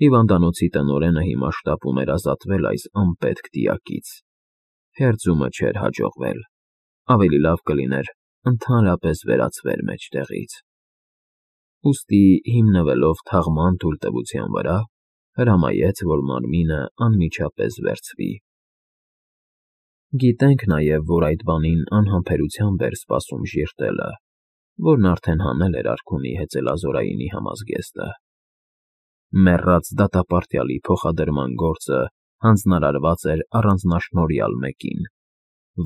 Հիվանդանոցի տնօրենը հիմա շտապում էր ազատվել այս անպետք դիակից։ Հերձումը չէր հաջողվել, ավելի լավ կլիներ ընդհանրապես վերացվեր մեջտեղից։ Ուստի, հիմնվելով թաղման թույլտվության վրա, հրամայեց, որ մարմինը անմիջապես վերցվի։ Գիտենք նաև, որ այդ բանին անհամբերությամբ էր սպասում ժիրտելը, որն արդեն հանել էր արքունի հեծելազորայինի համազգեստը։ Մեռած դատապարտյալի փոխադրման գործը հանձնարարված էր առանձնաշնորհյալ մեկին,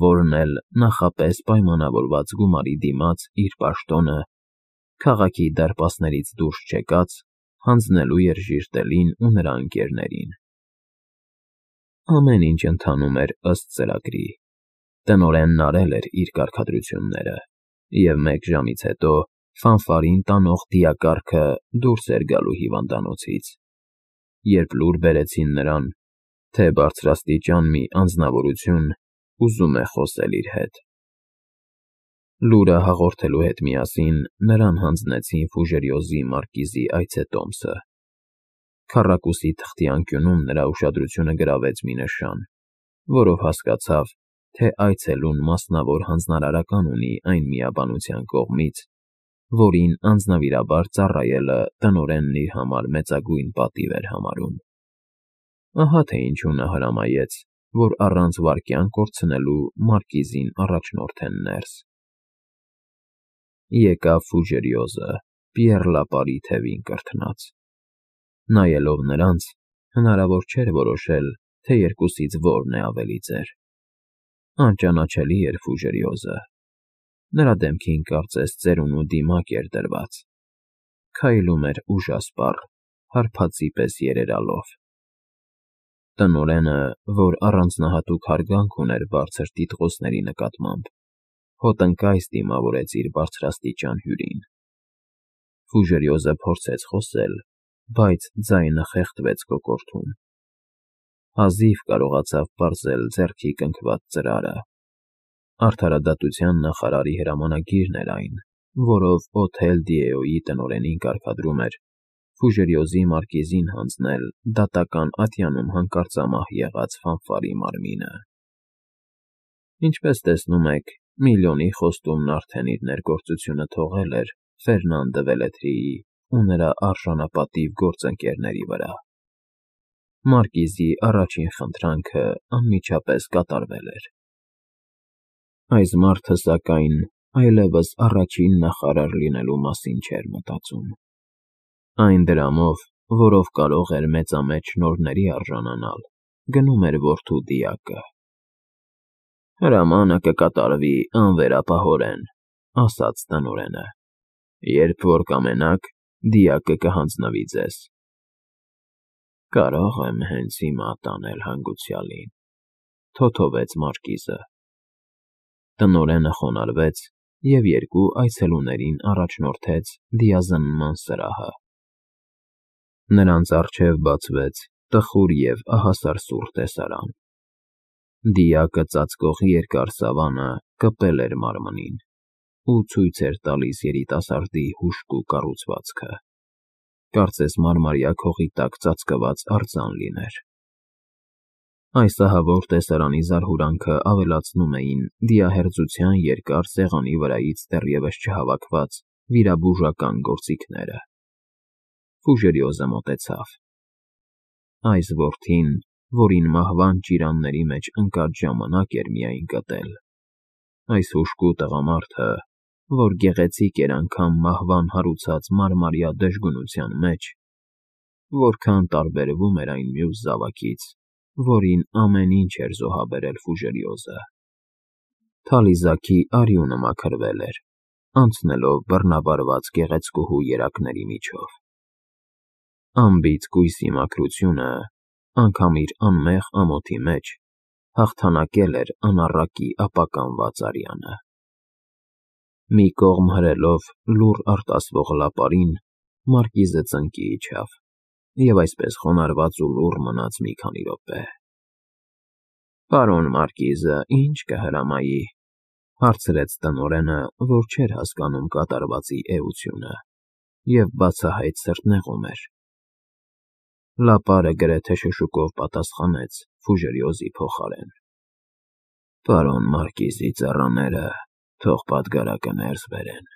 որն էլ նախապես պայմանավորված գումարի դիմաց իր պաշտոնը, քաղաքի դարպասներից դուրս չեկած, հանձնելու էր ժիրտելին ու նրա ընկերներին։ Ամեն ինչ ընթանում էր ըստ ծրագրի։ Տնօրենն արել էր իր կարգադրությունները, և մեկ ժամից հետո ֆանֆարին տանող դիակառքը դուրս էր գալու հիվանդանոցից, երբ լուր բերեցին նրան, թե բարձրաստիճան մի անձնավորություն ուզում է խոսել իր հետ։ Լուրը հաղորդելու հետ միասին նրան հանձնեցին Ֆուժերիոզի մարկիզի այցետոմսը։ Քառակուսի թղթի անկյունում նրա ուշադրությունը գրավեց մի նշան, որով հասկացավ, թե այցելուն մասնավոր հանձնարարական ունի այն միաբանության կողմից, որին անձնվիրաբար ծառայելը տնօրենն իր համար մեծագույն պատիվ էր համարում։ Ահա թե ինչու նա հրամայեց, որ առանց վայրկյան կորցնելու մարկիզին առաջնորդեն ներս։ Եկավ Ֆուժերիոզը, Պիեռ Լապարի թևին կրթնած։ Նայելով նրանց, հնարավոր չէր որոշել, թե երկուսից որն է ավելի ծեր։ Անճանաչելի էր Ֆուժերիոզը։ Նրա դեմքին կարծես ծերունու դիմակ էր դրված։ Քայլում էր ուժասպառ, հարբածի պես երերալով։ Տնօրենը, որ առանձնահատուկ հարգանք ուներ բարձր տիտղոսների նկատմամբ, հոտնկայս դիմավորեց իր բարձրաստիճան հյուրին։ Ֆուժերիոզը փորձեց խոսել, բայց ձայնը խեղդվեց կոկորդում։ Հազիվ կարողացավ պարզել ձեռքի կնքված ծրարը։ Արդարադատության նախարարի հրամանագիրն էր այն, որով Օթել Դիեոյի տնօրենին կարգադրում էր Ֆուժերիոզի մարկիզին հանձնել դատական ատյանում հանկարծամահ եղած ֆանֆարի մարմինը։ Ինչպես տեսնում եք, միլիոնի խոստումն արդեն իր ներգործությունը թողել էր Ֆերնան դը Վելետրիի ու նրա արժանապատիվ գործընկերների վրա։ Մարկիզի առաջին խնդրանքը անմիջապես կատարվել էր։ Այս մարդը, սակայն, այլևս առաջին նախարար լինելու մասին չէր մտածում։ Այն դրամով, որով կարող էր մեծամեծ շնորհների արժանանալ, գնում էր որդու դիակը։ Հրամանը կկատարվի անվերապահորեն, ասաց տնօրենը։ Երբ որ կամենաք, դիակը կհանձնվի ձեզ։ Կարող եմ հենց հիմա տանել հանգուցյալին, թոթովեց մարկիզը։ Տնօրենը խոնարհվեց և երկու այցելուներին առաջնորդեց դիազնման սրահը։ Նրանց առջև բացվեց տխուր և ահասարսուռ տեսարան։ Դիակը ծածկող երկար սավանը կպել էր մարմնին ու ցույց էր տալիս երիտասարդի հուժկու կառուցվածքը։ Կարծես մարմարյա քողի տակ ծածկված արձան լիներ։ Այս ահավոր տեսարանի զարհուրանքը ավելացնում էին դիահերձության երկար սեղանի վրայից դեռևս չհավաքված վիրաբուժական գործիքները։ Ֆուժերիոզը մոտեցավ։ Այս որդին, որին մահվան ճիրանների մեջ ընկած ժամանակ էր միայն գտել։ Այս հուժկու տղամարդը, որ գեղեցիկ էր անգամ մահվան հարուցած մարմարյա դժգունության մեջ, որքան տարբերվում էր այն մյուս զավակից, որին ամեն ինչ էր զոհաբերել Ֆուժերիոզը։ Թալիզաքի արյունը մաքրվել էր, անցնելով բռնաբարված գեղեցկուհու երակների միջով։ Անբիծ կույսի մաքրությունը, անգամ իր անմեղ ամոթի մեջ, հաղթանակել էր անառակի ապականված արյանը։ Մի կողմ հրելով լուռ արտասվող Լապարին, մարկիզը ծնկի իջավ և այսպես խոնարհված ու լուռ մնաց մի քանի րոպե։ Պարոն մարկիզը ի՞նչ կհրամայի,֊ հարցրեց տնօրենը, որ չէր հասկանում կատարվածի էությունը և բացահայտ սրտնեղում էր։ Լապարը գրեթե շշուկով պատասխանեց Ֆուժերիոզի փոխարեն. Պարոն Մարկիզի ծառաները թող պատգարակը ներս բերեն։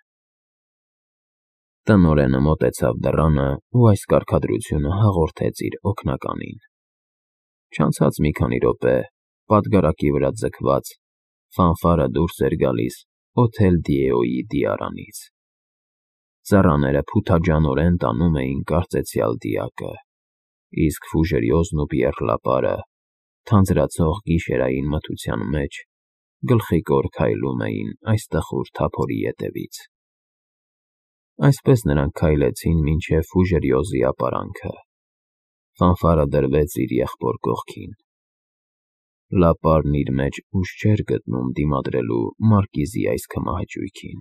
Տնօրենը մոտեցավ դռանը ու այս կարգադրությունը հաղորդեց իր օգնականին։ Չանցած մի քանի րոպե պատգարակի վրա ձգված ֆանֆարը դուրս էր գալիս Օթել Դիեոյի դիարանից։ Ծառաները փութաջանորեն տանում էին կարծեցյալ դիակը, իսկ Ֆուժերիոզն ու Պիեռ Լապարը թանձրացող գիշերային մթության մեջ գլխիկոր քայլում էին այս տխուր թափորի ետևից։ Այսպես նրանք քայլեցին մինչև Ֆուժերիոզի ապարանքը։ Ֆանֆարը դրվեց իր եղբոր կողքին։ Լապարն իր մեջ ուժ չէր գտնում դիմադրելու Մարկիզի այս քմահաճույքին։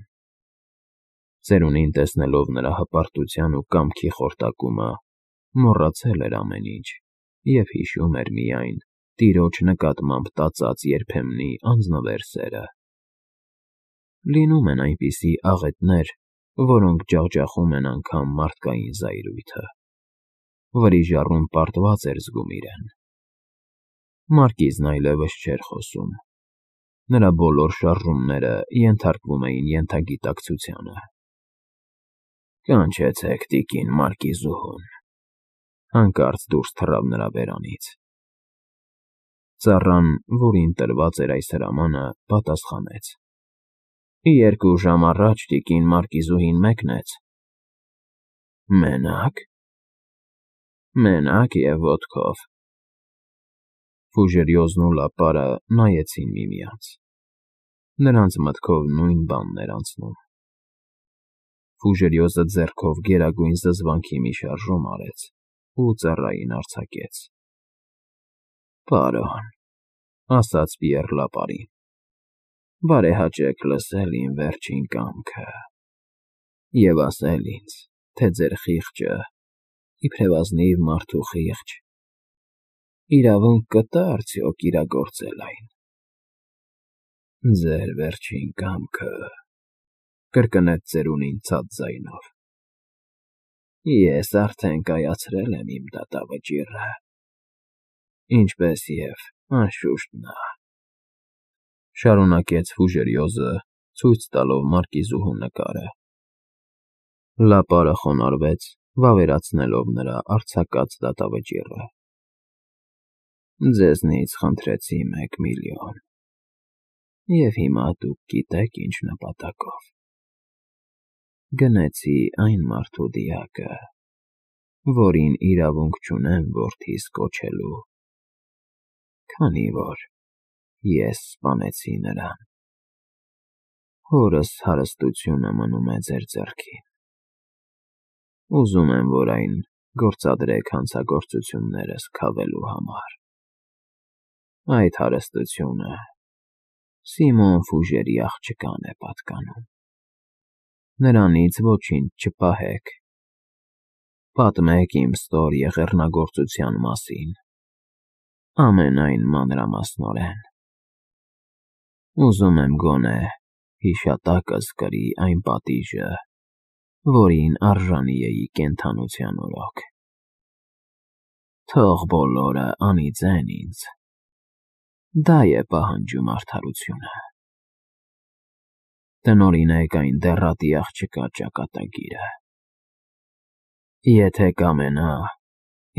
Ծերունին տեսնելով նրա հպարտության ու կամքի խորտակումը, մոռացել էր ամեն ինչ և հիշում էր միայն տիրոջ նկատմամբ տածած երբեմնի անձնվեր սերը։ Լինում են այնպիսի աղետներ, որոնք ջախջախում են անգամ մարդկային զայրույթը։ Վրիժառուն պարտված էր զգում իրեն։ Մարկիզն այլևս չէր խոսում։ Նրա բոլոր շարժումները ենթարկվում էին ենթագիտակցությանը։ Կանչեցեք տիկին Մարկիզուհուն, հանկարծ դուրս թռավ նրա բերանից։ Ծառան, որին տրված էր այս հրամանը, պատասխանեց. 2 ժամ առաջ տիկին Մարկիզուհին մեկնեց։ Մենա՞կ։ Մենակ և ոտքով։ Ֆուժերիոզն ու Լապարը նայեցին միմյանց։ Նրանց մտքով նույն բանն էր անցնում։ Ֆուժերիոզը ձեռքով գերագույն զզվանքի մի շարժում արեց ու ծառային արձակեց։ Պարոն, ասաց Պիեռ Լապարին, բարեհաճեք լսել իմ վերջին կամքը և ասել ինձ, թե ձեր խիղճը, իբրև ազնիվ մարդու խիղճ, իրավունք կտա՞ արդյոք իրագործել այն։ Ձեր վերջին կամքը, կրկնեց ծերունին ցած ձայնով։ Ես արդեն կայացրել եմ իմ դատավճիռը, ինչպես և, անշուշտ, նա, շարունակեց Ֆուժերիոզը, ցույց տալով Մարկիզուհու նկարը։ Լապարը խոնարհվեց, վավերացնելով նրա արձակած դատավճիռը։ Ձեզնից խնդրեցի 1 միլիոն, և հիմա դուք գիտեք ինչ նպատակով։ Գնեցի այն մարդու դիակը, որին իրավունք չունեմ որդիս կոչելու, քանի որ ես սպանեցի նրան։ Հորս հարստությունը մնում է ձեր ձեռքին։ Ուզում եմ, որ այն գործադրեք հանցագործություններս քավելու համար։ Այդ հարստությունը Սիմոն Ֆուժերի աղջկան է պատկանում։ Նրանից ոչինչ չպահեք։ Պատմեք իմ ստոր եղեռնագործության մասին, ամենայն մանրամասնորեն։ Ուզում եմ գոնե հիշատակս կրի այն պատիժը, որին արժանի էի կենդանության օրոք։ Թող բոլորը անիծեն ինձ, դա է պահանջում արդարությունը։ Տնօրինեք այն դեռատի աղջկա ճակատագիրը։ Եթե կամենա,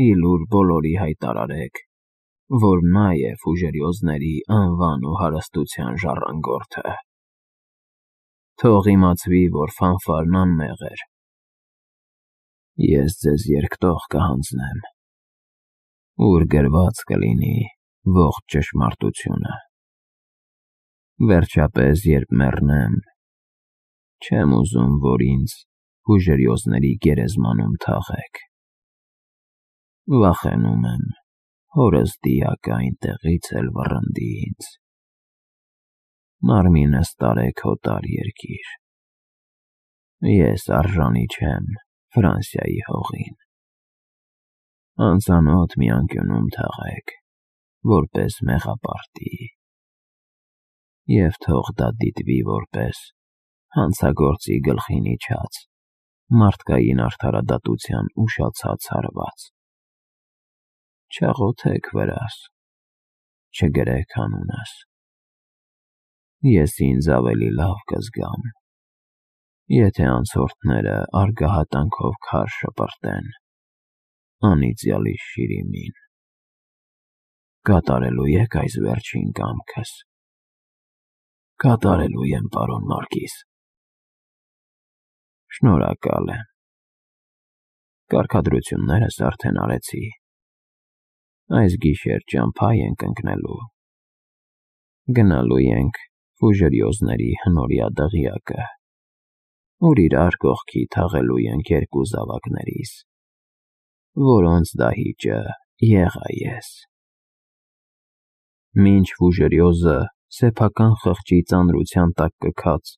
ի լուր բոլորի հայտարարեք, որ նա է Ֆուժերիոզների անվան ու հարստության ժառանգորդը։ Թող իմացվի, որ ֆանֆարն անմեղ էր։ Ես ձեզ երկտող կհանձնեմ, ուր գրված կլինի ողջ ճշմարտությունը։ Վերջապես, երբ մեռնեմ, չեմ ուզում, որ ինձ Ֆուժերիոզների գերեզմանում թաղեք։ Վախենում եմ, հորս դիակը այնտեղից էլ վռնդի ինձ։ Մարմինս տարեք հոտար երկիր։ Ես արժանի չեմ Ֆրանսիայի հողին։ Անծանոթ մի անկյունում թաղեք, որպես մեղապարտի, և թող դա դիտվի որպես հանցագործի գլխին իջած մարդկային արդարադատության ուշացած հարված։ Չաղոթեք վրաս, չգրեք անունս, ես ինձ ավելի լավ կզգամ, եթե անցորդները արգահատանքով քար շպրտեն անիծյալի Շիրիմին։ Կատարելու եք այս վերջին կամքս։ Կատարելու եմ, պարոն Մարգիս։ Շնորհակալ եմ։ Կարգադրություններս արդեն արեցի։ Այս գիշեր ճամփա ենք ընկնելու։ Գնալու ենք Ֆուժերիոզների հնորյա դղյակը, ուր իրար կողքի թաղելու ենք երկու զավակներիս, որոնց դահիճը եղա ես։ Մինչ Ֆուժերիոզը սեփական խղճի ծանրության տակ կքած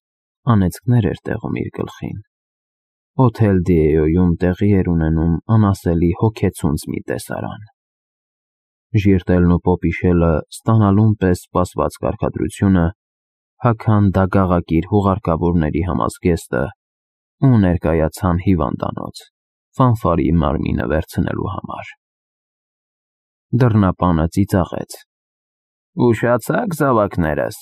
անեծքներ էր տեղում իր գլխին, Հոթել Դիեոյում տեղի էր ունենում անասելի հոգեցունց մի տեսարան։ Ժիրտելն ու Պոպիշելը ստանալուն պես սպասված կարգադրությունը, հագան դագաղակիր հուղարկավորների համազգեստը ու ներկայացան հիվանդանոց, Ֆանֆարի մարմինը վերցնելու համար։ Դռնապանը ծիծաղեց. «Ուշացա՞ք, զավակներս»։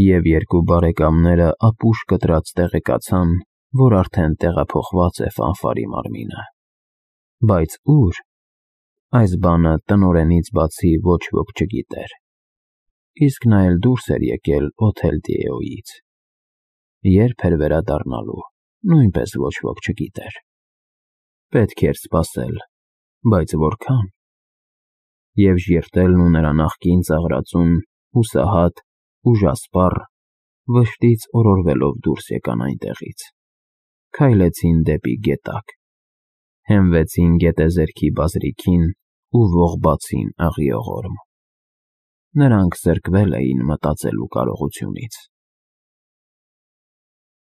Եվ երկու բարեկամները ապուշ կտրած տեղեկացան, որ արդեն տեղափոխված է Ֆանֆարի մարմինը։ Բայց ուր, այս բանը տնօրենից բացի ոչ ոք չգիտեր, իսկ նա էլ դուրս էր եկել Հոթել Դիեոյից։ Երբ էր վերադառնալու, նույնպես ոչ ոք չգիտեր։ Պետք էր սպասել, բայց որքան։ Եվ ժիրտելն ու նրա նախկին ծաղրածուն, հուսահատ, ուժասպառ, վշտից օրորվելով դուրս եկան այնտեղից, քայլեցին դեպի գետակ, հենվեցին գետեզերքի բազրիքին ու ողբացին աղիողորմ։ Նրանք զրկվել էին մտածելու կարողությունից։